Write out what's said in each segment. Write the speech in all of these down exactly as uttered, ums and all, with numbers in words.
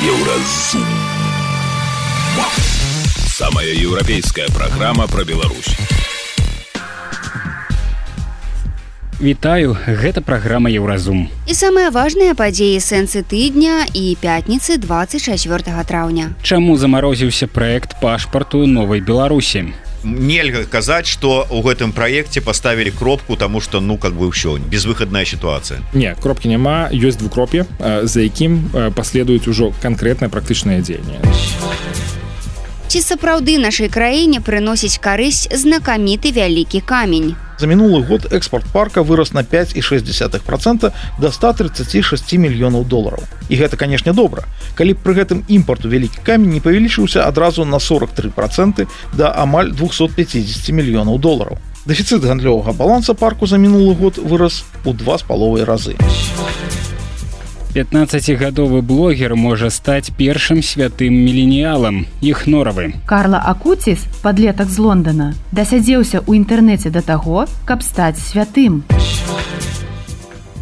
Еўразум. Самая еўрапейская праграма пра Беларусь. Вітаю, гэта праграма Еўразум. І самыя важныя падзеі сэнсы тыдня і пятніцы двадцать чацвёртага траўня. Чаму замарозіўся праект пашпарту новай Беларусі? Нельга казаць, што ў гэтым праекце паставілі кропку, таму што ну как бы ўсё, безвыхадная сітуацыя. Не, кропкі няма, ёсць двукроп'е, за якім паследуюць ужо канкрэтныя практычныя дзеянні. Ці сапраўды нашай краіне прыносіць карысць знакаміты вялікі камень? За мінулы год экспорт парка вырос на пять и шесть десятых процента до ста тридцати шести мільёнаў долараў. І гэта, канешне, добра. Калі б пры гэтым імпарту вялікі камень не павялічыўся адразу на сорок три процента да амаль двухсот пятидесяти мільёнаў долараў. Дэфіцыт гандлёвага баланса парку за мінулы год вырас у два з паловай разы. пятнаццацігадовы блогер можа стаць першым святым міленіялам, Іхноравы. Карла Акуціс, падлетак з Лондона, дасядзеўся ў інтэрнэце да таго, каб стаць святым.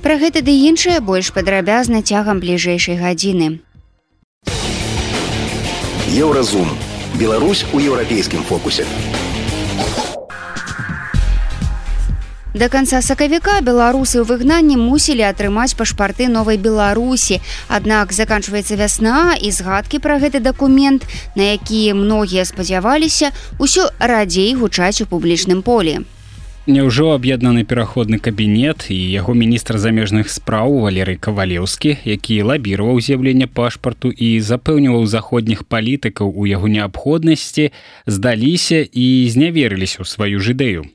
Пра гэта ды іншае больш падрабязна цягам бліжэйшай гадзіны. Еўразум. Беларусь у еўрапейскім фокусе. Да канца сакавіка беларусы ў выгнанні мусілі атрымаць пашпарты новай Беларусі. Аднак заканчваецца вясна, і згадкі пра гэты дакумент, на які многія спадзяваліся, усё радзей гучаць у публічным полі. Няўжо аб'яднаны пераходны кабінет і яго міністр замежных спраў Валерый Кавалеўскі, які лабіраваў з'яўленне пашпарту і запэўніваў заходніх палітыкаў у яго неабходнасці, здаліся і зняверыліся ў сваю ж ідэю.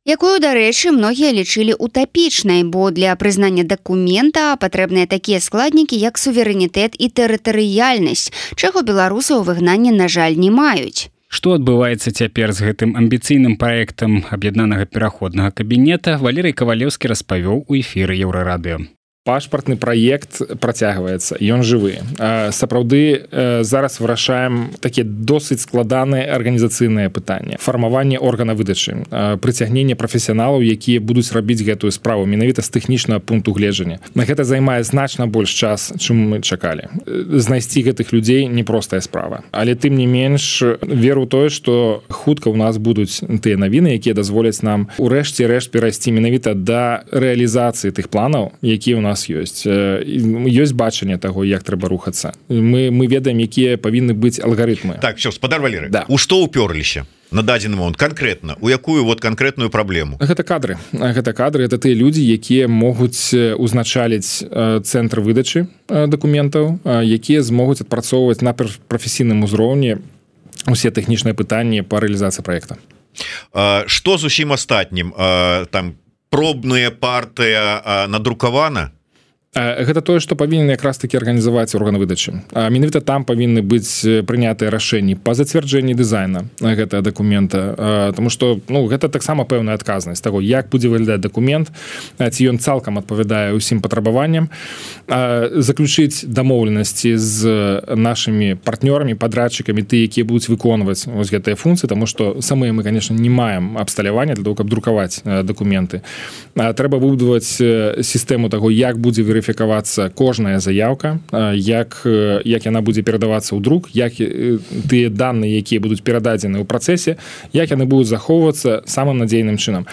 Якую, дарэчы, многія лічылі утапічнай, бо для прызнання дакумента патрэбныя такія складнікі, як суверэнітэт і тэрытарыяльнасць, чаго беларусы ў выгнанні, на жаль, не маюць. Што адбываецца цяпер з гэтым амбіцыйным праектам аб'яднанага пераходнага кабінета, Валерый Кавалеўскі распавёў у эфіры Еўрарадыё. Пашпартны праект працягваецца, ён жывы. Сапраўды зараз вырашаем такія досыць складаныя арганізацыйныя пытанні. Фармаванне органа выдачы, прыцягненне прафесіяналаў, якія будуць рабіць гэтую справу менавіта з тэхнічнага пункту гледжання. На гэта займае значна больш час, чым мы чакалі. Знайсці гэтых людзей непростая справа. Але тым не менш, веру ў тое, што хутка ў нас будуць тыя навіны, якія дазволяць нам урэшце рэшт перайсці менавіта да рэалізацыі тых планаў, якія ў нас ёсць. Ёсць бачанне таго, як трэба рухацца. Мы, мы ведаем, якія павінны быць алгарытмы. Так, все, спадар Валерый, да. У што ўпёрліся на дадзены момант канкрэтна, у якую вот канкрэтную праблему? Гэта кадры. Гэта кадры, это тыя людзі, якія могуць узначаліць цэнтр выдачы дакументаў, якія змогуць адпрацоўваць на прафесійным узроўні усе тэхнічныя пытанні па рэалізацыі праекта. Што з усім астатнім? Там пробная партыя надрукавана? Гэта тое, што павінен якраз такі арганізаваць орган выдачы. Менавіта там павінны быць прынятыя рашэнні па зацвярджэнні дызайна гэтага дакумента, тому што ну, гэта таксама пэўная адказнасць таго, як будзе выглядаць дакумент, ці ён цалкам адпавядае ўсім патрабаванням, заключыць дамоўленасці з нашымі партнёрамі, падрадчыкамі, ты, якія будуць выконваць вось гэтыя функцыі, таму што самыя мы, конечно, не маем абсталявання для того, каб друкаваць дакументы. Трэба выбудаваць сістэму таго, як будзе верыфікавацца кожная заявка, як, як яна будзе перадавацца ў друк, як тыя даныя, якія будуць перададзены ў працэсе, як яны будуць захоўвацца самым надзейным чынам.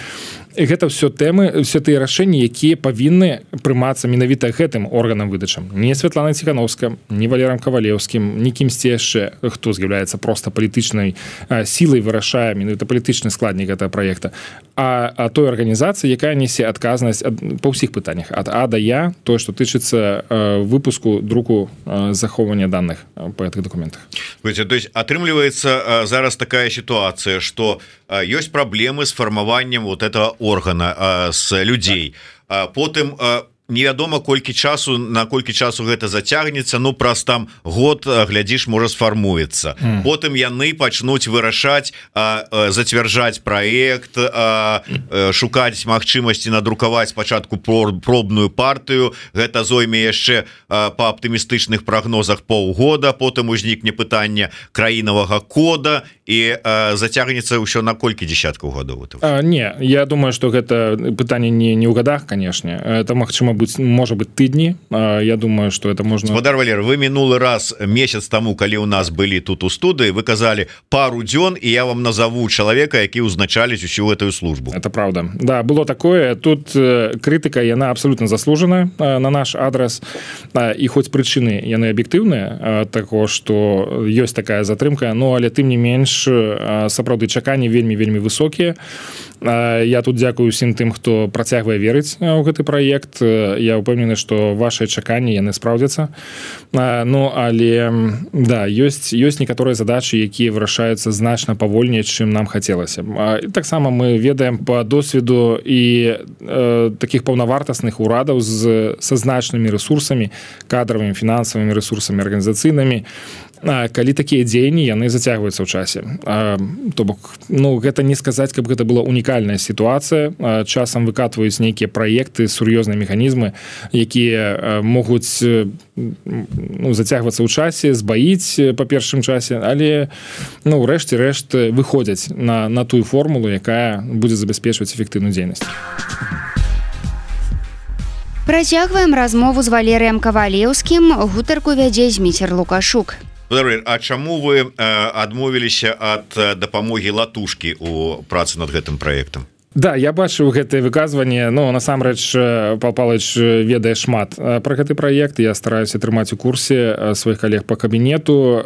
Гэта все тэмы, все тыя рашэнні, якія павінны прымацца менавіта гэтым органам выдачам. Не Святланай Ціхановскай, не Валерам Кавалеўскім, не кімсьці яшчэ, хто з'яўляецца проста палітычнай сілай, вырашае менавіта палітычны складнік гэтага праекта, а, а той арганізацыі, якая несе адказнасць па ўсіх пытаннях, ад А да Я, тое, што тычыцца выпуску, друку, захоўвання даных па гэтых дакументах. То есть атрымліваецца зараз такая сітуацыя, што ёсць праблемы з фармаваннем вот этого органа з людзей. Потым невядома колькі часу, на колькі часу гэта зацягнецца, ну праз там год, глядзіш, можа сфармуецца. Mm. Потым яны пачнуць вырашаць, зацвярджаць праект, шукаць магчымасці надрукаваць спачатку пробную партыю. Гэта зойме яшчэ па аптымістычных прагнозах паўгода, потым узнікне пытанне краінавага кода і зацягнецца ўсё на колькі десяткаў гадоў. Не, я думаю, што гэта пытанне не, не ў гадах, канешне. Это магчыма мабуть, можа быць тыдні. Я думаю, что это можно. Гаспадар Валер, вы мінулы раз месяц таму, калі у нас былі тут у студыі, вы казалі пару дзён, і я вам назову чалавека, які ўзначаліць усю гэтую службу. Это правда. Да, было такое. Тут крытыка, яна абсолютно заслужана на наш адрес, і хоць прычыны яны аб'ектыўныя таго, што ёсць такая затрымка, но але тым не менш сапраўды чаканні вельмі вельмі высокія. Я тут дзякую усім тым, хто працягвае верыць у гэты праект. Я ўпэўнены, што вашыя чаканні яны спраўдзяцца. Ну але да, ёсць ёсць некаторыя задачы, якія вырашаюцца значна павольней, чым нам хацелася. Таксама мы ведаем па досведу і э, такіх паўнавартасных урадаў з са значнымі рэсурсамі, кадравымі, фінансавымі рэсурсамі, арганізацыйнымі, калі такія дзеянні яны зацягваюцца ў часе. То бок, ну, гэта не сказаць, каб гэта была унікальная сітуацыя. Часам выкатваюць нейкія праекты, сур'ёзныя механізмы, якія могуць ну, зацягвацца ў часе, збаіць па першым часе, але ну, рэшце рэшт выходзяць на, на тую формулу, якая будзе забяспечваць эфектыўную дзейнасць. Працягваем размову з Валерыем Кавалеўскім. Гутарку вядзе Зміцер Лукашук. А чаму вы адмовіліся ад дапамогі латушкі у працы над гэтым праектам? Да, я бачыў гэтае выказванне, но насамрэч Пал Палыч ведае шмат пра гэты праект. Я стараюся трымаць у курсе сваіх калег по кабінету.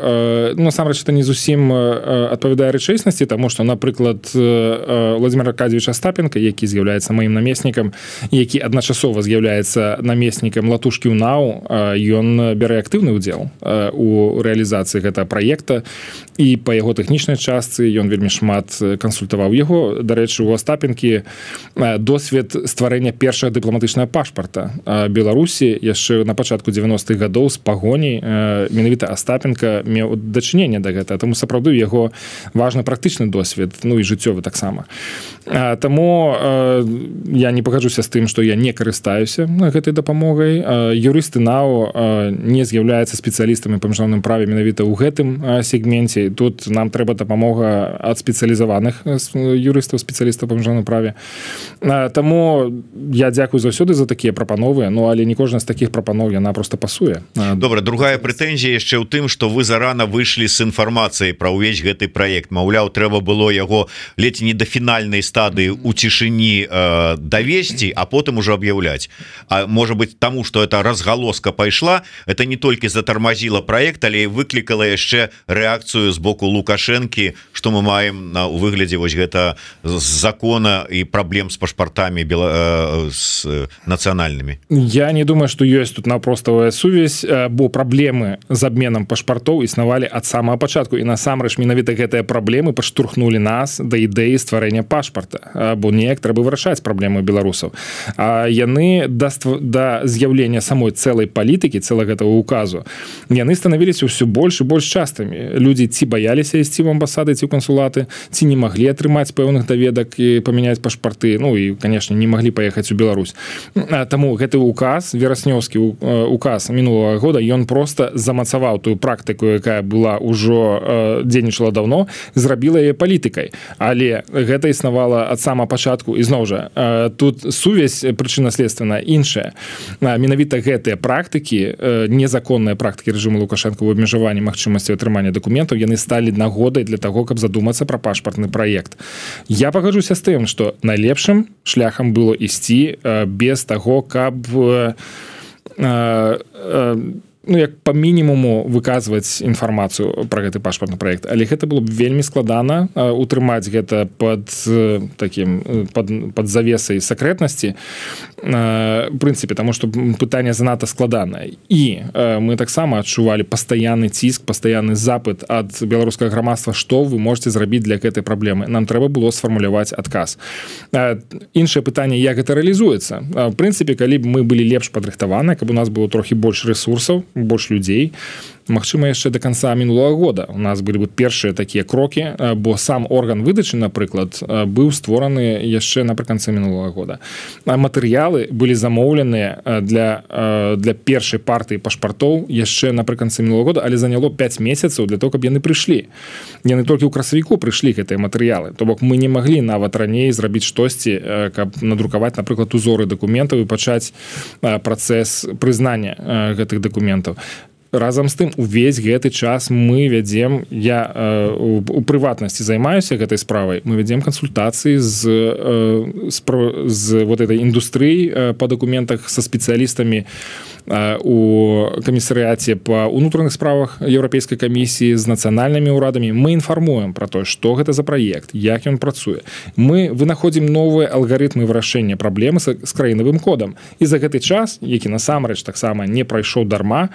Насамрэч это не зусім адпавядае рэчаіснасці, таму што, напрыклад, Владимир Аркадьевич Остапенко, які з'яўляецца маім намеснікам, які адначасова з'яўляецца намеснікам латушкі ў НАУ, ён бярэ актыўны ўдзел у рэалізацыі гэтага праекта, і па яго тэхнічнай частцы ён вельмі шмат кансультаваў яго. Дарэчы, у Остапенко досвед стварэння першага дыпламатычнага пашпарта Беларусі яшчэ на пачатку дзевяностых гадоў з пагоняй. Менавіта Остапенко меў дачыненне да гэтага, таму сапраўды яго важны практычны досвед, ну і жыццёвы таксама. Таму я не пагаджуся з тым, што я не карыстаюся гэтай дапамогай. Юрысты НАУ не з'яўляюцца спецыялістамі па міжнародным праве менавіта ў гэтым сегменце. Тут нам трэба дапамога ад спецыялізаваных юрыстаў, спецыялістаў па міжнародным праве. Таму я дзякую заўсёды за такія прапановы, ну але не кожная з такіх прапаноў яна просто пасуе. Добра, другая прэтэнзія яшчэ ў тым, што вы зарана выйшлі з інфармацыяй пра ўвесь гэты праект. Маўляў, трэба было яго ледзь не да фінальнай стадыі у цішыні э, давесці, а потым ужо аб'яўляць. А можа быць таму, што эта разгалоска пайшла, это не толькі затармазіла праект, але і выклікала яшчэ рэакцыю з боку Лукашэнкі, што мы маем на, у выглядзе вось гэта закона і праблем з пашпартамі бела... з нацыянальнымі. Я не думаю, што ёсць тут напроставая сувязь, бо праблемы з абменам пашпартоў існавалі ад самага пачатку, і насамрэч менавіта гэтыя праблемы падштурхнулі нас да ідэі стварэння пашпарта, бо неяк трэба вырашаць праблемы беларусаў. А яны да, створ... да з'яўлення самой цэлай палітыкі, цэлага гэтага указу, яны станавіліся ўсё больш і больш частымі. Людзі ці баяліся ісці ў амбасады, ці ў кансулаты, ці не маглі атрымаць пэўных даведак і памяняць пашпарты, ну і, канешне, не маглі паехаць у Беларусь. Таму гэты указ, вераснёўскі указ мінулага года, ён проста замацаваў тую практыку, якая была ўжо дзейнічала даўно, зрабіла яе палітыкай. Але гэта існавала ад самага пачатку, і зноў жа, тут сувязь прычынна-следственная іншая. Менавіта гэтыя практыкі, незаконныя практыкі рэжыму Лукашэнка ў абмежаванні магчымасці атрымання дакументаў, яны сталі нагодай для таго, каб задумацца пра пашпартны праект. Я пагаджуся з тым, што найлепшым шляхам было ісці без таго, каб ну, як па мінімуму выказваць інфармацыю пра гэты пашпартны праект. Але гэта было б вельмі складана утрымаць гэта пад такім пад, пад завесай сакрэтнасці, в прынцыпе, таму што пытанне занадта складанае. І мы таксама адчувалі пастаянны ціск, пастаянны запыт ад беларускага грамадства, што вы можете зрабіць для гэтай праблемы. Нам трэба было сфармуляваць адказ. Іншае пытанне, як гэта рэалізуецца. В прынцыпе, калі б мы былі лепш падрыхтаваны, каб у нас было трохі больш рэсурсаў, больш людзей. Магчыма, яшчэ до конца мінулага года у нас былі бы першыя такія крокі, бо сам орган выдачы, напрыклад, быў створаны яшчэ напрыканцы мінулага года. Матэрыялы былі замоўленыя для, для першай партыі пашпартоў яшчэ напрыканцы мінулага года, але заняло пяць месяцаў для того, каб яны прыйшлі. Яны толькі ў красавіку прыйшлі гэтыя матэрыялы. То бок мы не маглі нават раней зрабіць штосьці, каб надрукаваць, напрыклад, узоры дакументаў і пачаць працэс прызнання гэтых дакументаў. Разам з тым, увесь гэты час мы вядзем, я э, у, у прыватнасці займаюся гэтай справай, мы вядзем кансультацыі з, э, з, з вот этой індустрыі э, па дакументах са спецыялістамі э, у камісарыяце па ўнутраных справах Еўрапейскай камісіі з нацыянальнымі ўрадамі. Мы інфармуем пра тое, што гэта за праект, як ён працуе. Мы вынаходзім новыя алгарытмы вырашэння праблемы з, з краінавым кодам. І за гэты час, які насамрэч таксама не прайшоў дарма,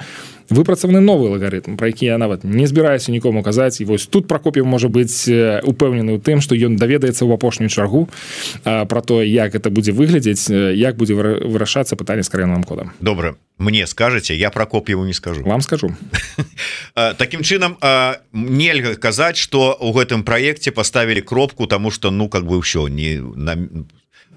выпрацаваны новы алгарытм, пра які я нават не збіраюся нікому казаць. І вось тут Пракоп'ев можа быць упэўнены ў тым, што ён даведаецца ў апошнюю чаргу пра тое, як гэта будзе выглядзець, як будзе вырашацца пытанне з краінавым кодам. Добра, мне скажаце, я Пракоп'еву не скажу. Вам скажу. Такім чынам, нельга казаць, што ў гэтым праекце паставілі кропку, таму што, ну, как бы ўсё, не на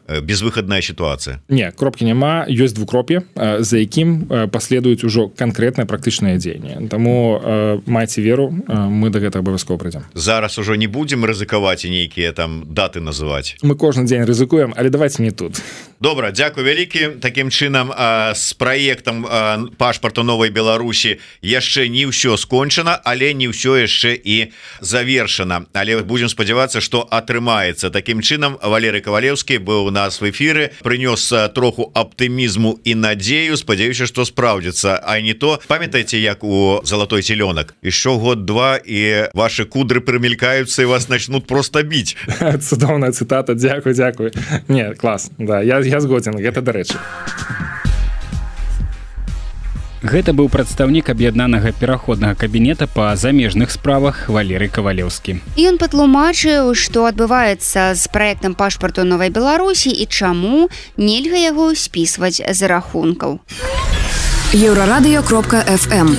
безвыходная ситуация. Не, кропки няма, ёсць двукроп'е, за якім паследуюць ужо канкрэтнае практычнае дзеянне. Таму э, майце веру, мы да гэтага абавязкова прыйдзем. Зараз ужо не будзем рызыкаваць і нейкія там даты называць. Мы кожны дзень рызыкуем, але давайте не тут. Добра, дзякуй вялікі. Такім чынам, з праектам пашпарту Новай Беларусі яшчэ не ўсё скончана, але не ўсё яшчэ і завершана. Але будзем спадзявацца, што атрымаецца. Такім чынам, Валерый Ковалеўскі быў нас в эфиры, принес троху оптимизму и надею, спадзяюся, что справдится, а не то. Памятаете, як у «Золотой теленок»? Еще год-два, и ваши кудры примелькаются, и вас начнут просто бить. Цудовная цитата, дякую, дякую. Не, класс, да, я, я згоден, это до речі. Гэта быў прадстаўнік аб'яднанага пераходнага кабінета па замежных справах Валерый Ковалеўскі. Ён патлумачыў, што адбываецца з праектам пашпарту Новай Беларусі і чаму нельга яго спісваць з рахункаў. еўрарадыё кропка эф эм.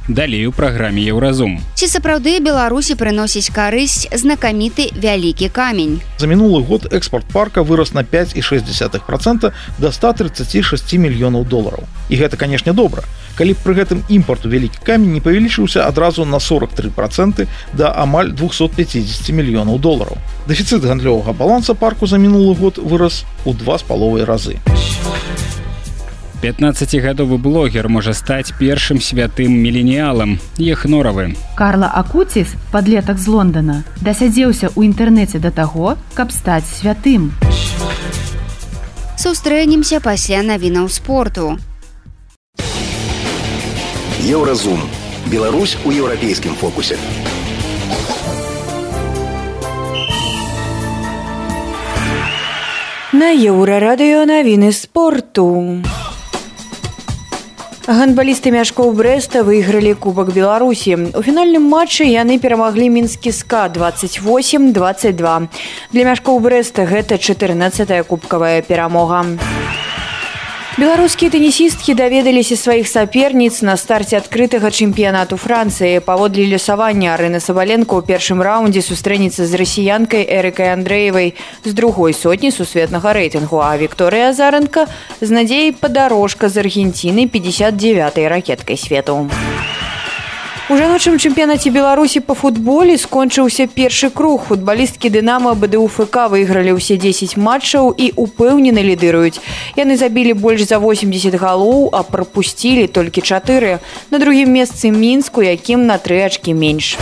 Далей у праграме Еўразум. Ці сапраўды Беларусі прыносіць карысць знакаміты вялікі камень? За мінулы год экспорт парка вырос на пять і шесть десятых процента до ста тридцати шести мільёнаў долараў. І гэта, канешне, добра. Калі б пры гэтым імпарту вялікі камень не павялічыўся адразу на сорок три процента да амаль двухсот пятидесяти мільёнаў долараў. Дэфіцыт гандлёвага баланса парку за мінулы год вырас у два з паловай разы. пятнаццацігадовы блогер можа стаць першым святым міленіялам. Ехноравы. Карла Акуціс, падлетак з Лондона, дасядзеўся ў інтэрнэце да таго, каб стаць святым. Сустрэнемся пасля навінаў спорту. Еўразум. Беларусь у еўрапейскім фокусе. На Еўрарадыё навіны спорту. Гандбалісты Мяшкоў Брэста выйгралі Кубак Беларусі. У фінальным матчы яны перамаглі мінскі СКА двадцать восемь двадцать два. Для Мяшкоў Брэста гэта чатырнаццатая кубкавая перамога. Беларускія тэнісісткі даведаліся сваіх саперніц на старце адкрытага чэмпіянату Францыі. Паводле лёсавання Арына Сабаленко ў першым раўндзе сустрэнецца з расіянкай Эрыкай Андрэевай з другой сотні сусветнага рэйтынгу, а Вікторыя Азарэнка з Надзеяй Падарожка з Аргенціны пятьдесят девятой ракеткай свету. У жаночым чэмпіянаце Беларусі па футболе скончыўся першы круг. Футбалісткі «Дынамо», БДУ-ФК выйгралі ўсе дзесяць матчаў і упэўнена лідыруюць. Яны забілі больш за восемьдесят галоў, а прапусцілі толькі чатыры. На другім месцы Мінск, у якім на тры ачкі менш.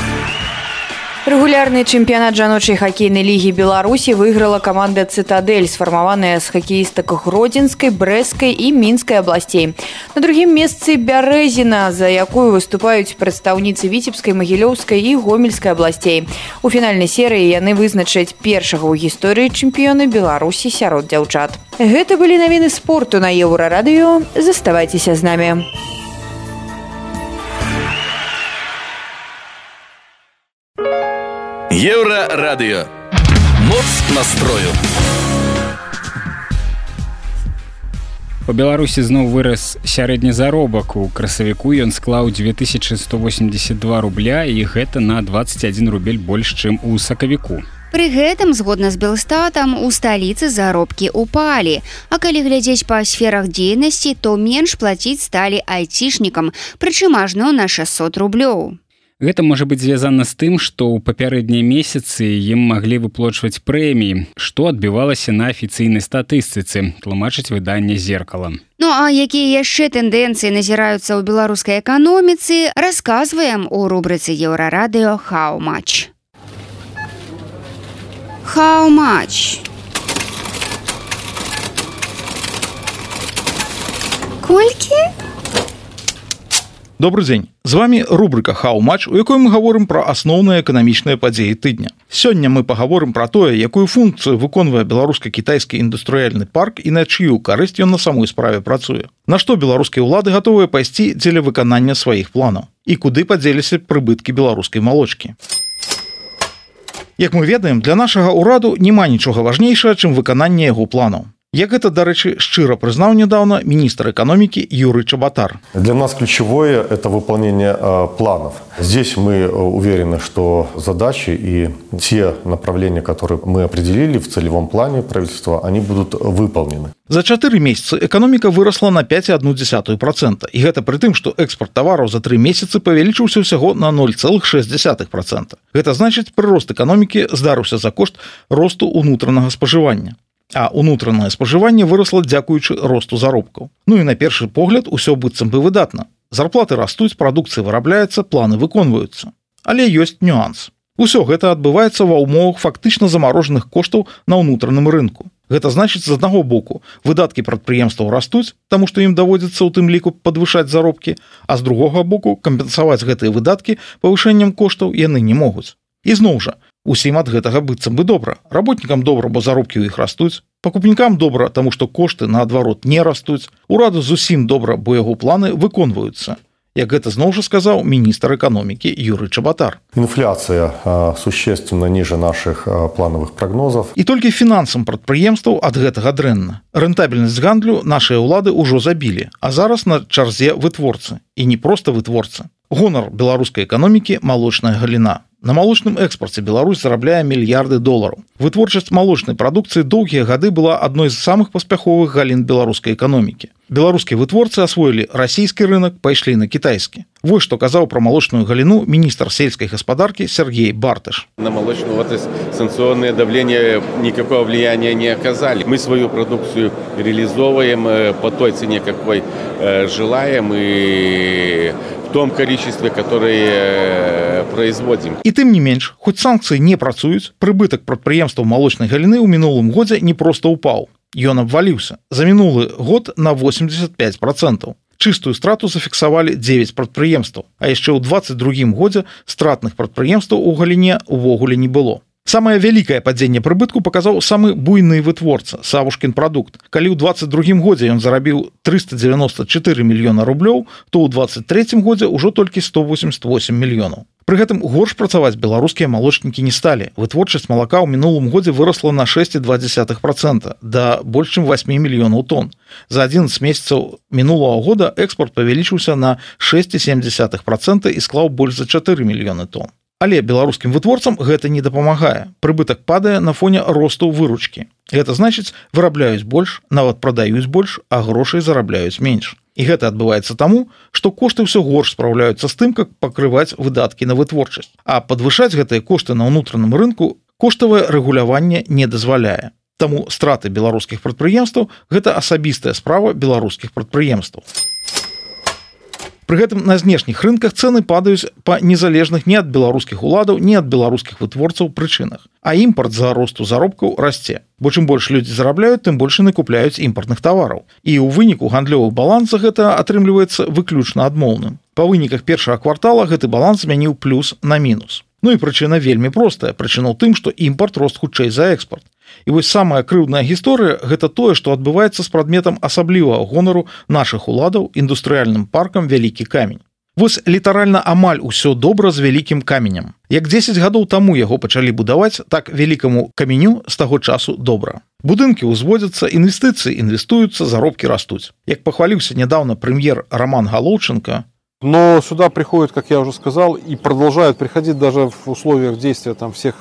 Рэгулярны чэмпіянат жаночай хакейнай лігі Беларусі выйграла каманда «Цытадэль», сфармаваная з хакеістак Гродзенскай, Брэсцкай і Мінскай абласцей. На другім месцы Бярэзіна, за якую выступаюць прадстаўніцы Віцебскай, Магілёўскай і Гомельскай абласцей. У фінальнай серыі яны вызначаць першага ў гісторыі чэмпіёна Беларусі сярод дзяўчат. Гэта былі навіны спорту на Еўрарадыё. Заставайцеся з намі. Еўрарадыё. Моц настрою. У Беларусі зноў вырас сярэдні заробак. У красавіку ён склаў две тысячи сто восемьдесят два рубля, і гэта на двадцать один рубель больш, чым у сакавіку. Пры гэтым, згодна з Белстатам, у сталіцы заробкі упалі. А калі глядзець па сферах дзейнасці, то менш плаціць сталі айцішнікам, прычым ажно на шестьсот рублёў. Гэта можа быць звязана з тым, што ў папярэднія месяцы ім маглі выплочваць прэміі, што адбівалася на афіцыйнай статыстыцы, тлумачыць выданне «Зеркала». Ну а якія яшчэ тэндэнцыі назіраюцца ў беларускай эканоміцы, расказваем у рубрыцы «Еўрарадыё How much?». How much? Колькі? Добрый дзень. З вами рубрика How much, у якой мы гаворым пра асноўныя эканамічныя падзеі тыдня. Сёння мы пагаворым пра тое, якую функцыю выконвае беларуска-кітайскі індустрыяльны парк і на чыю карысць ён на самой справе працуе. На што беларускія ўлады гатовыя пайсці дзеля выканання сваіх планаў і куды падзеліся прыбыткі беларускай малочкі. Як мы ведаем, для нашага ўраду няма нічога важнейшага, чым выкананне яго планаў. Як это, дарэчы, шчыра прызнаў недавно министр экономики Юрий Чеботар. Для нас ключевое – это выполнение э, планов. Здесь мы уверены, что задачи и те направления, которые мы определили в целевом плане правительства, они будут выполнены. За чатыры месяцы экономика выросла на пять целых одну десятую процента. И это при том, что экспорт товаров за три месяца павялічыўся всего на ноль целых шесть десятых процента. Это значит, прирост экономики здарыўся за кошт росту унутранага спажывання. А унутранае спажыванне выросла дзякуючы росту заробкаў. Ну і на першы погляд усё быццам бы выдатна. Зарплаты растуць, прадукцыя вырабляецца, планы выконваюцца. Але ёсць нюанс. Усё гэта адбываецца ва ўмовах фактычна замарожаных коштаў на ўнутраным рынку. Гэта значыць, з аднаго боку, выдаткі прадпрыемстваў растуць, таму што ім даводзіцца ў тым ліку падвышаць заробкі, а з другога боку, кампенсаваць гэтыя выдаткі павышэннем коштаў яны не могуць. І зноў жа, усім ад гэтага быццам бы добра. Работнікам добра, бо заробкі ў іх растуць. Пакупнікам добра, таму што кошты, наадварот, не растуць. Ураду зусім добра, бо яго планы выконваюцца. Як гэта зноў жа сказаў міністр эканомікі Юрий Чеботар. Инфляция э, существенно ниже наших э, плановых прогнозов. І толькі фінансам прадпрыемстваў ад гэтага дрэнна. Рэнтабельнасць гандлю нашыя ўлады ўжо забілі, а зараз на чарзе вытворцы. І не проста вытворцы. Гонар беларускай эканомікі – малочная галіна. На малочным экспорце Беларусь зарабляе мільярды долараў. Вытворчасць малочнай прадукцыі доўгія гады была адной з самых паспяховых галін беларускай эканомікі. Беларускія вытворцы асвоілі расійскі рынок, пайшлі на кітайскі. Вось што казаў пра малочную галіну міністр сельскай гаспадаркі Сергей Бартыш. На молочную отрасль санкционные давления никакого влияния не оказали. Мы свою продукцию реализовываем по той цене, какой желаем, и в том количестве, которое производим. І тым не менш, хоць санкцыі не працуюць, прыбытак прадпрыемстваў малочнай галіны ў мінулым годзе не проста ўпаў. Ён абваліўся. За мінулы год на восемьдесят пять процентов. Чыстую страту зафіксавалі девять прадпрыемстваў, а яшчэ ў двадцать другім годзе стратных прадпрыемстваў у галіне увогуле не было. Самае вялікае падзенне прыбытку паказаў самы буйны вытворца Савушкін прадукт. Калі ў двадцать другім годзе ён зарабіў триста девяносто четыре мільёна рублёў, то ў двадцать трэцім годзе ўжо толькі сто восемьдесят восемь мільёнаў. Пры гэтым горш працаваць беларускія малочнікі не сталі. Вытворчасць малака ў минулым годзе выросла на шесть целых две десятых процента да больш чым восьми мільёнаў тонн. За одиннадцать месяцаў мінулага года экспорт павялічыўся на шесть целых семь десятых процента і склаў больш за чатыры мільёны тонн. Але беларускім вытворцам гэта не дапамагае. Прыбытак падае на фоне росту выручкі. Гэта значыць, вырабляюць больш, нават прадаюць больш, а грошай зарабляюць менш. І гэта адбываецца таму, што кошты ўсё горш спраўляюцца з тым, как пакрываць выдаткі на вытворчасць. А падвышаць гэтыя кошты на ўнутраным рынку коштавае рэгуляванне не дазваляе. Таму страты беларускіх прадпрыемстваў – гэта асабістая справа беларускіх прадпрыемстваў. Пры гэтым на знешніх рынках цэны падаюць па незалежных ні ад беларускіх уладаў, ні ад беларускіх вытворцаў прычынах. А імпарт за росту заробкаў расце. Бо чым больш людзі зарабляюць, тым больш яны купляюць імпартных тавараў. І ў выніку гандлёвы баланс за гэта атрымліваецца выключна адмоўным. Па выніках першага квартала гэты баланс змяніў плюс на мінус. Ну і прычына вельмі простая. Прычына ў тым, што імпарт рост хутчэй за экспорт. І вось самая крыўдная гісторыя – гэта тое, што адбываецца з прадметам асаблівага гонару нашых уладаў індустрыяльным паркам «Вялікі камень». Вось літаральна амаль усё добра з вялікім каменем. Як дзесяць гадоў таму яго пачалі будаваць, так вялікаму каменю з таго часу добра. Будынкі ўзводзяцца, інвестыцыі інвестуюцца, заробкі растуць. Як пахваліўся нядаўна прэм'ер Роман Головченко, но сюда приходят, как я уже сказал, и продолжают приходить даже в условиях действия там всех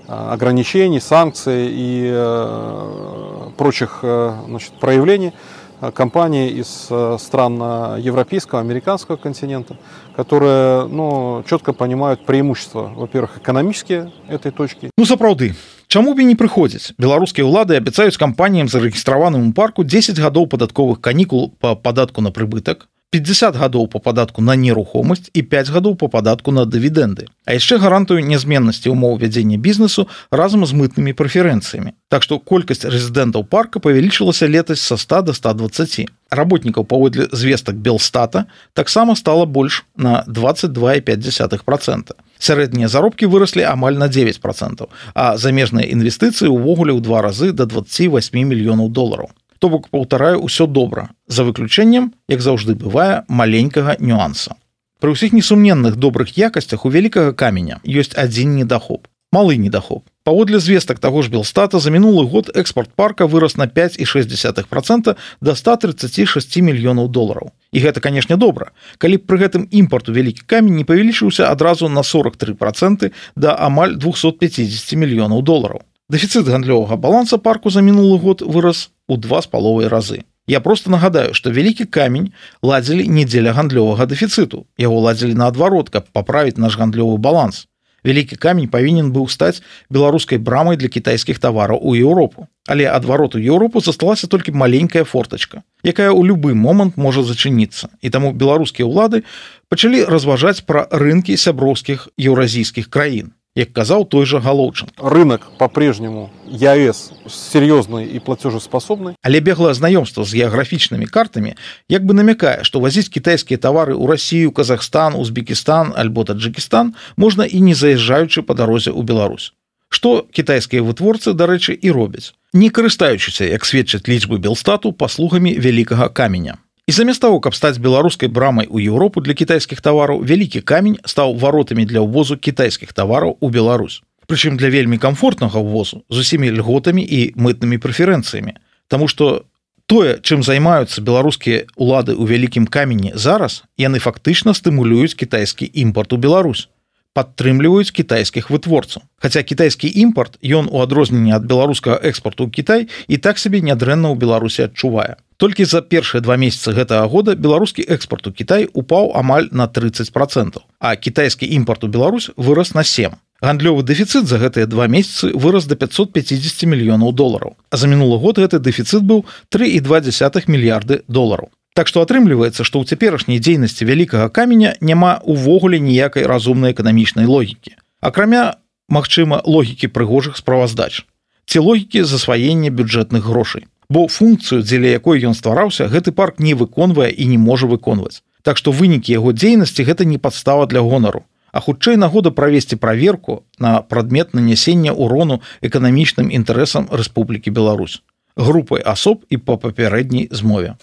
ограничений, санкций и э, прочих э, значит, проявлений э, компании из э, стран европейского, американского континента, которые ну, четко понимают преимущества, во-первых, экономические этой точки. Ну, сапраўды, чаму б і не прыходзіць? Беларускія ўлады абяцаюць кампаніям, зарэгістраваным у парку, дзесяць гадоў падатковых канікул па падатку на прыбытак, пятьдесят гадоў по падатку на нерухомасць і пять гадоў по падатку на дывідэнды. А яшчэ гарантую нязменнасці ўмоў вядзення бізнесу разам з мытнымі прэферэнцыямі. Так што колькасць рэзідэнтаў парка павялічылася летась са ста до ста двадцати. Работнікаў паводле звестак Белстата таксама стала больш на двадцать два и пять десятых процента. Сярэднія заробкі выраслі амаль на девять процентов, а замежныя інвестыцыі ўвогуле ў два разы до двадцати восьми мільёнаў долараў. То бок, паўтараю, усё добра, за выключэннем, як заўжды бывае, маленькага нюанса. Пры ўсіх несумненных добрых якасцях у вялікага каменя ёсць адзін недахоп. Малы недахоп. Паводле звестак таго ж Белстата, за мінулы год экспорт парка вырас на пять и шесть десятых процента до ста тридцати шести мільёнаў долараў. І гэта, канешне, добра, калі б пры гэтым імпарт у вялікі камень не павялічыўся адразу на сорок три процента да амаль двухсот пятидесяти мільёнаў долараў. Дэфіцыт гандлёвага баланса парку за мінулы год вырас у два з паловай разы. Я просто нагадаю, што вялікі камень ладзілі не дзеля гандлёвага дэфіцыту. Яго ладзілі наадварот, каб паправіць наш гандлёвы баланс. Вялікі камень павінен быў стаць беларускай брамай для кітайскіх тавараў у Еўропу. Але адварот у Еўропу засталася толькі маленькая фортачка, якая ў любы момант можа зачыніцца. І таму беларускія ўлады пачалі разважаць пра рынкі сяброўскіх еўразійскіх краін. Як казаў той же Головченко. Рынок по-прежнему ЕАЭС серьезный и платежеспособный. Але беглое знаёмство с геаграфічнымі картамі як бы намякае, што вазіць кітайскія тавары ў Расію, Казахстан, Узбекістан альбо Таджикістан можна і не заязджаючы па дарозе ў Беларусь. Што кітайскія вытворцы, дарэчы, і робяць, не карыстаючыся, як сведчаць лічбы Белстату, паслугамі вялікага каменя. І замест таго, каб стаць беларускай брамай у Еўропу для кітайскіх тавараў, вялікі камень стаў варотамі для ўвозу кітайскіх тавараў у Беларусь. Прычым для вельмі камфортнага ўвозу з усімі льготамі і мытнымі прэферэнцыямі. Таму што тое, чым займаюцца беларускія ўлады ў вялікім камені зараз, яны фактычна стымулююць кітайскі імпарт у Беларусь, падтрымліваюць кітайскіх вытворцаў. Хаця кітайскі імпарт, ён у адрозненні ад беларускага экспарту ў Кітай і так сабе нядрэнна ў Беларусі адчувае. Толькі за першыя два месяцы гэтага года беларускі экспарт у Кітай упаў амаль на тридцать процентов, а кітайскі імпарт у Беларусь вырас на семь. Гандлёвы дэфіцыт за гэтыя два месяцы вырас до пятьсот пятидесяти мільёнаў долараў, а за мінулы год гэты дэфіцыт быў три и два десятых мільярды долараў. Так што атрымліваецца, што ў цяперашняй дзейнасці вялікага каменя няма ўвогуле ніякай разумнай эканамічнай логікі. Акрамя, магчыма, логікі прыгожых справаздач. Ці логікі засваення бюджэтных грошай. Бо функцыю, дзеля якой ён ствараўся, гэты парк не выконвае і не можа выконваць. Так што вынікі яго дзейнасці гэта не падстава для гонару, а хутчэй нагода правесці праверку на прадмет нанясення ўрону эканамічным інтарэсам Рэспублікі Беларусь, групай асоб і па папярэдняй змове.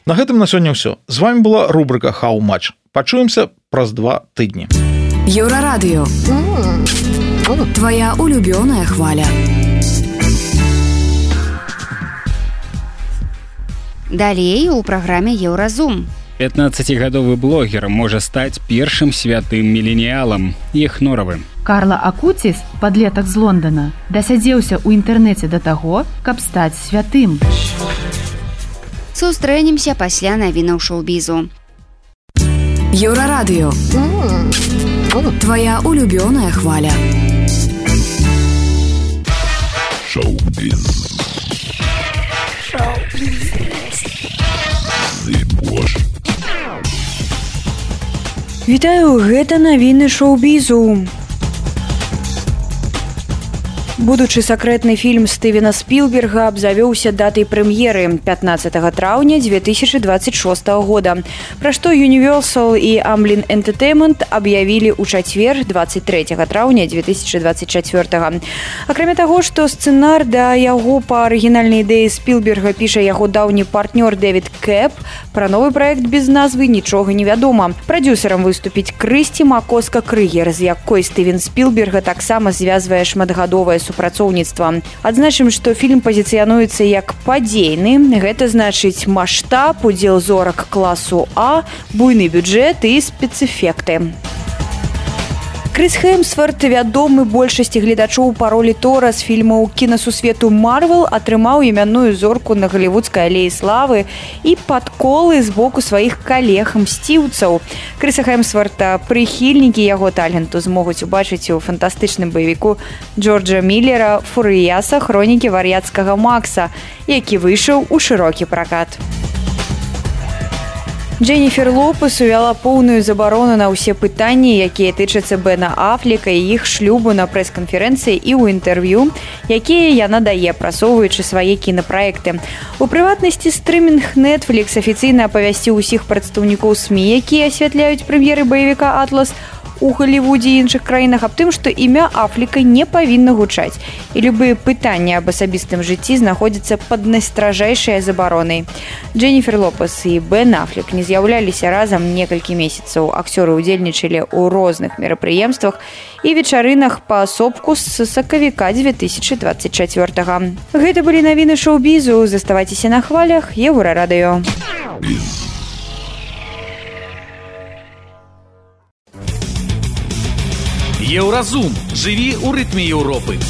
На гэтым на сёння ўсё. З вами была рубрика «Хау-матч». Пачуемся праз два тыдні. Еўрарадыё. Твоя улюбёная хваля. Далей у праграме Еўразум. пятнаццацігадовы блогер можа стаць першым святым міленіялам, Ехноравым. Карла Акуціс, падлетак з Лондона, дасядзеўся ў інтэрнэце да таго, каб стаць святым. Сустрэнемся пасля навінаў шоу-бізу. Еўрарадыё. Твоя улюбёная хваля. Шоу-біз. Вітаю, гэта навіны шоу-бізу. Будучы сакрэтны фільм Стывена Спілберга абзавёўся датай прэм'еры пятнаццатага траўня дзве тысячы двадцать шостага года, пра што Universal і Amblin Entertainment аб'явілі ў чацвер двадцать трэцяга траўня дзве тысячы двадцать чацвёртага. Акрамя таго, што сцэнар да яго па арыгінальнай ідэі Спілберга піша яго даўні партнёр Дэвід Кэп, пра новы праект без назвы нічога не вядома. Прадзюсарам выступіць Крысці Макоска-Крыгер, з якой Стывен Спілберга таксама звязвае шматгадовае супрацоўніцтва. Адзначым, што фільм пазіцыянуецца як падзейны. Гэта значыць маштаб, удзел зорак класу А, буйны бюджэт і спецэфекты. Крыс Хемсворт, вядомы большасці гледачоў па ролі Тора з фільмаў кінасусвету Марвел, атрымаў імянную зорку на галівудскай алеі славы і падколы з боку сваіх калег-мсціўцаў. Крыса Хемсворта прыхільнікі яго таленту змогуць убачыць у фантастычным баевіку Джорджа Міллера «Фурыяса. Хронікі вар'яцкага Макса», які выйшаў у шырокі пракат. Дженніфер Лопес увяла поўную забарону на ўсе пытанні, якія тычацца Бена Афлека і іх шлюбу на прэс-канферэнцыі і ў інтэрв'ю, якія яна дае, прасоўваючы свае кінапраекты. У прыватнасці стрымінг Netflix афіцыйна апавясціў усіх прадстаўнікоў СМІ, якія асвятляюць прэм'еры баевіка «Атлас» у Галівудзе і іншых краінах, аб тым, што імя Афлека не павінна гучаць. І любыя пытанні аб асабістым жыцці знаходзяцца пад найстражэйшай забаронай. Дженніфер Лопес і Бен Афлек не з'яўляліся разам некалькі месяцаў. Акцёры ўдзельнічалі ў розных мерапрыемствах і вечарынах паасобку з сакавіка дзве тысячы дваццаць чацвёртага. Гэта былі навіны шоу-бізу. Заставайцеся на хвалях Еўрарадыё. Еўразум. Жыві ў рытме Еўропы.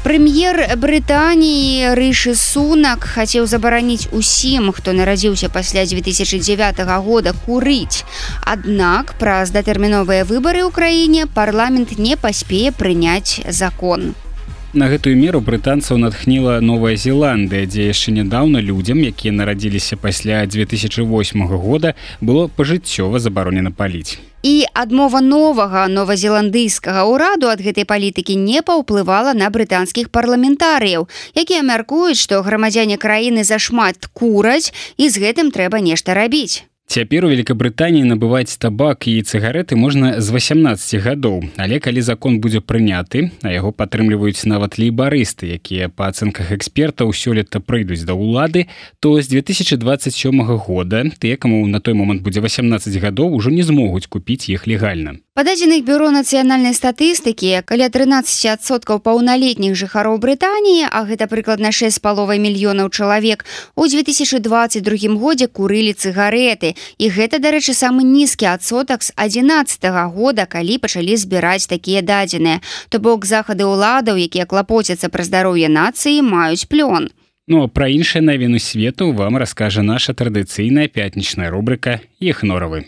Прэм'ер Брытаніі Рышы Сунак хацеў забараніць усім, хто нарадзіўся пасля дзве тысячы дзявятага года, курыць. Аднак праз датэрміновыя выбары ў краіне парламент не паспее прыняць закон. На гэтую меру брытанцаў натхніла Новая Зеландыя, дзе яшчэ нядаўна людзям, якія нарадзіліся пасля дзве тысячы восьмага года, было пажыццёва забаронена паліць. І адмова новага новазеландыйскага ўраду ад гэтай палітыкі не паўплывала на брытанскіх парламентарыяў, якія мяркуюць, што грамадзяне краіны зашмат кураць і з гэтым трэба нешта рабіць. Цяпер у Великабрытаніі набываць табак і цыгареты можна з васямнаццаці гадоў, але калі закон будзе прыняты, а яго падтрымліваюць нават лейбарысты, якія па ацэнках экспертаў сёлета прыйдуць да ўлады, то з дзве тысячы дваццаць сёмага года тыя, каму на той момант будзе васямнаццаць гадоў, ужо не змогуць купіць іх легальна. Па дадзеных бюро нацыянальнай статыстыкі, каля трынаццаць адсоткаў паўналетніх жыхароў Брытаніі, а гэта прыкладна шэсць з паловай мільёнаў чалавек, у дзве тысячы дваццаць другім годзе курылі цыгареты. І гэта, дарэчы, самы нізкі адсотак з адзінаццатага года, калі пачалі збіраць такія дадзеныя. То бок захады ўладаў, якія клапоцяцца пра здароўе нацыі, маюць плён. Ну а пра іншыя навіны свету вам раскажа наша традыцыйная пятнічная рубрика «Ехноравы».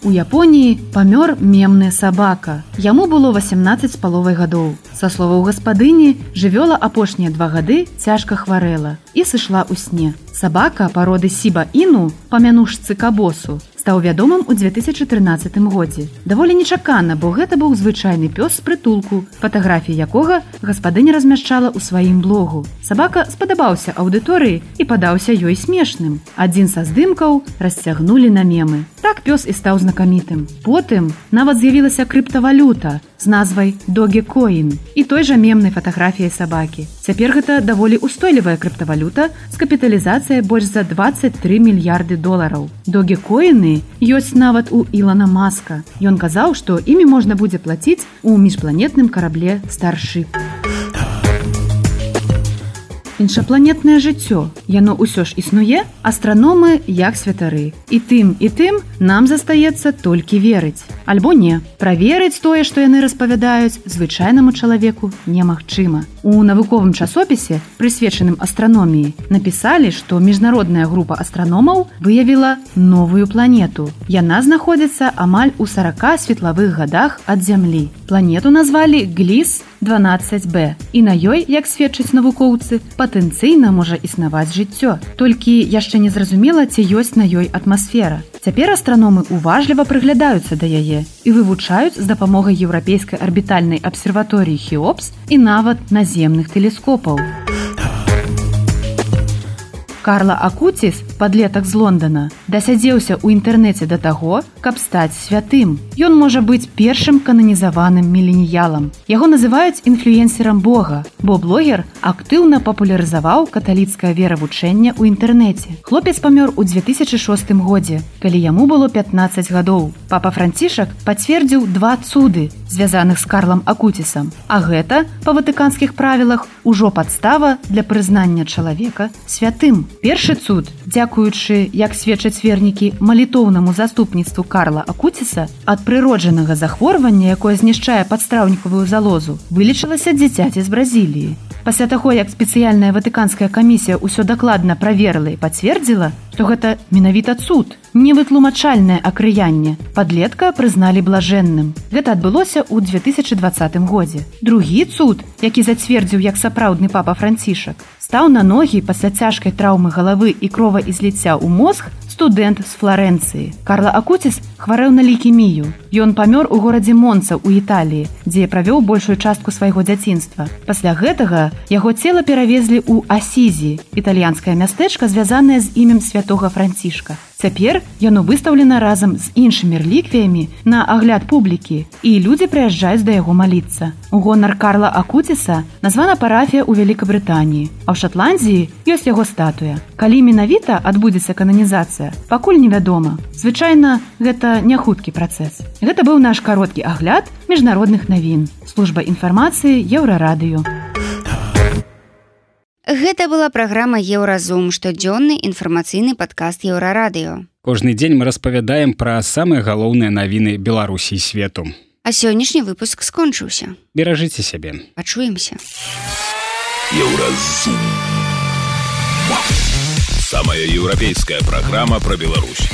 У Японіі памёр мемная сабака. Яму было васямнаццаць з паловай гадоў. Са словаў гаспадыні, жывёла апошнія два гады цяжка хварэла і сышла ў сне. Сабака пароды Сіба-Іну, па мянушцы Кабосу, стаў вядомым у дзве тысячы трынаццатым годзе. Даволі нечакана, бо гэта быў звычайны пёс з прытулку, фатаграфіі якога гаспадыня размяшчала ў сваім блогу. Сабака спадабаўся аўдыторыі і падаўся ёй смешным. Адзін са здымкаў расцягнулі на мемы. Так пёс і стаў знакамітым. Потым нават з'явілася крыптавалюта з назвай Dogecoin і той жа мемнай фатаграфіяй сабакі. Цяпер гэта даволі устойлівая крыптавалюта з капіталізацыяй больш за дваццаць тры мільярды долараў. Dogecoin ёсць нават у Ілана Маска. Ён казаў, што імі можна будзе плаціць у міжпланетным карабле Starship. Іншапланетнае жыццё. Яно ўсё ж існуе, астраномы як святары. І тым, і тым нам застаецца толькі верыць. Альбо не. Праверыць тое, што яны распавядаюць, звычайнаму чалавеку немагчыма. У навуковым часопісе, прысвечаным астраноміі, напісалі, што міжнародная група астраномаў выявіла новую планету. Яна знаходзіцца амаль у сарака светлавых гадах ад Зямлі. Планету назвалі Гліс дванаццаць бэ, і на ёй, як сведчаць навукоўцы, патэнцыйна можа існаваць жыццё. Толькі яшчэ не зразумела, ці ёсць на ёй атмасфера. Цяпер астраномы уважліва прыглядаюцца да яе і вывучаюць з дапамогай еўрапейскай арбітальнай абсерваторыі Хеопс і нават наземных тэлескопаў. Карла Акуціс, падлетак з Лондона, дасядзеўся ў інтэрнэце да таго, каб стаць святым. Ён можа быць першым кананізаваным міленіялам. Яго называюць інфлюенсерам Бога, бо блогер актыўна папулярызаваў каталіцкае веравучэнне ў інтэрнэце. Хлопец памёр у дзве тысячы шостым годзе, калі яму было пятнаццаць гадоў. Папа Францішак пацвердзіў два цуды, звязаных з Карлам Акуцісам, а гэта, па ватыканскіх правілах, ужо падстава для прызнання чалавека святым. Першы цуд, дзякуючы, як сведчаць вернікі, малітоўнаму заступніцтву Карла Акуціса, ад прыроджанага захворвання, якое знішчае падстраўнікавую залозу, вылечылася дзіцяці з Бразіліі. Пасля таго, як спецыяльная ватыканская камісія ўсё дакладна праверыла і пацвердзіла, што гэта менавіта цуд, невытлумачальнае акрыянне, падлетка прызналі блажэнным. Гэта адбылося ў дзве тысячы дваццатым годзе. Другі цуд, які зацвердзіў як сапраўдны папа Францішак, стаў на ногі пасля цяжкай траўмы галавы і кроваізліцця ў мозг студэнт з Фларэнцыі. Карла Акуціс хварэў на лейкемію. Ён памёр у горадзе Монца ў Італіі, дзе правёў большую частку свайго дзяцінства. Пасля гэтага яго цела перавезлі ў Асізі, італьянскае мястэчка, звязанае з імем святога Францішка. Цяпер яно выстаўлена разам з іншымі рэліквіямі на агляд публікі, і людзі прыязджаюць да яго маліцца. У гонар Карла Акуціса названа парафія ў Вялікабрытаніі, а ў Шатландзіі ёсць яго статуя. Калі менавіта адбудзецца кананізацыя, пакуль невядома. Звычайна, гэта не хуткі працэс. Гэта быў наш кароткі агляд міжнародных навін. Служба інфармацыі Еўрарадыё. Гэта была праграма Еўразум, штодзённы інфармацыйны падкаст Еўрарадыё. Кожны дзень мы распавядаем пра самыя галоўныя навіны Беларусі і свету. А сённяшні выпуск скончыўся. Беражыце сябе. Пачуемся. Еўразум. Самая еўрапейская праграма пра Беларусь.